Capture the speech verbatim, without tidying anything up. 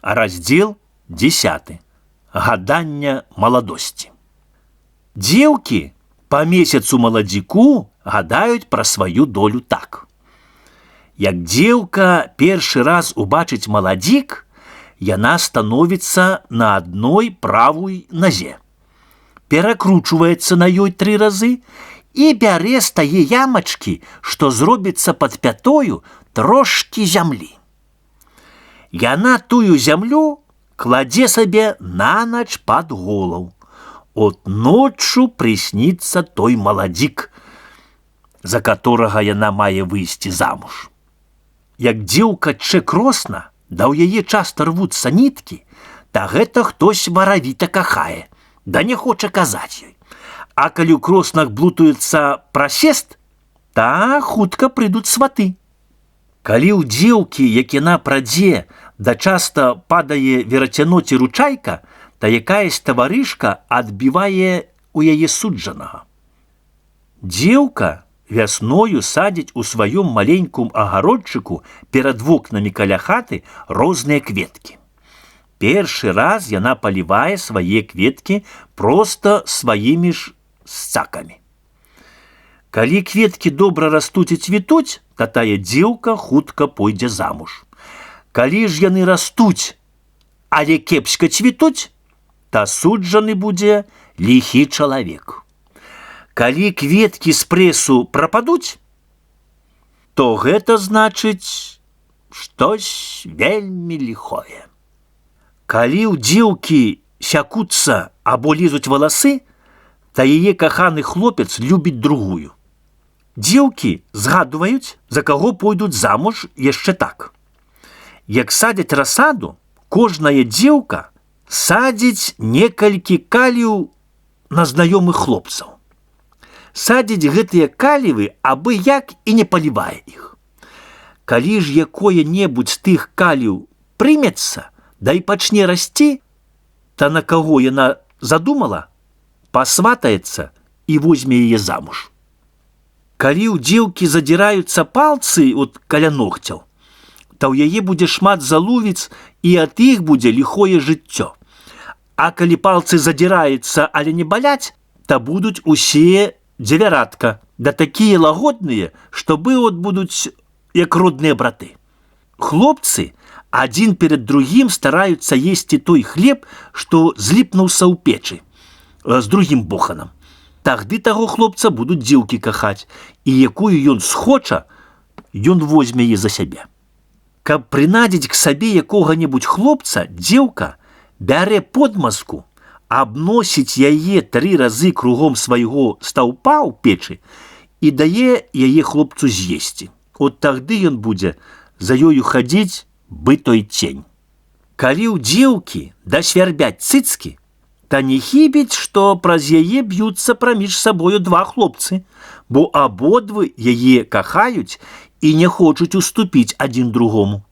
Раздел десяты. Гадання маладосці. Дзеўкі па месяцу маладзіку гадаюць пра сваю долю так. Як дзеўка першы раз убачыць маладзік, яна становіцца на адной правой назе, перакручваецца на ёй тры разы і бярэ з тае ямачкі, што зробіцца пад пятою, трошкі зямлі. Яна тую зямлю кладзе сабе на ноч пад голову. От ноччу прысніцца той маладзік, за которага яна мае выйсці замуж. Як дзеўка чэ кросна, да ў яе часта рвуцца ніткі, та гэта хтось варавіта кахае, да не хоча казаць ёй. А калі ў кроснах блутуецца прасест, та хутка прыйдуць сваты. Калі ў дзеўкі, як яна прадзе, да часта падае верацяно ці ручайка, та якаясь таварышка адбівае у яе суджанага. Дзеўка вясною садзіць у сваём маленькім агародчыку перад вокнамі каля хаты розныя кветкі. Першы раз яна палівае свае кветкі проста сваімі ж сцакамі. Калі кветкі добра растуць і цвітуць, та тая дзеўка хутка пойдзе замуж. Калі ж яны растуць, але кепска цвітуць, та суджаны будзе ліхі чалавек. Калі кветкі з прэсу прападуць, то гэта значыць штось вельмі ліхое. Калі ў дзеўкі сякуцца або лізуць валасы, та яе каханы хлопец любіць другую. Дзеўкі згадваюць, за каго пойдуць замуж яшчэ так. Як садзяць расаду, кожная дзеўка садзіць некалькі каліў на знаёмых хлопцаў. Садзіць гэтыя калівы абы як і не палівае іх. Калі ж якое-небудзь з тых каліў прымецца, да і пачне расці, та на каго яна задумала, пасватаецца і возьме яе замуж. Калі ў дзеўкі задзіраюцца палцы от каля ногцяў, та ў яе будзе шмат залувіц і ад іх будзе ліхое жыццё. А калі палцы задзіраюцца, але не баляць, та будуць усе дзевяратка, да такія лагодныя, што от будуць як родныя браты. Хлопцы адзін перад другім стараюцца есці той хлеб, што зліпнуўся ў печы з другім боханам. Тагды таго хлопца будуць дзеўкі кахаць, і якую ён схоча, ён возьме яе за сябе. Каб прынадзіць к сабе якога-небудзь хлопца, дзеўка бярэ подмазку, абносіць яе тры разы кругом свайго стаўпа ў печы і дае яе хлопцу з'есці. От тагды ён будзе за ёю хадзіць бы той цень. Калі ў дзеўкі дасвярбяць цыцкі, та не хібіць, што праз яе б'юцца праміж сабою два хлопцы, бо абодвы яе кахаюць і не хочуць уступіць адзін другому.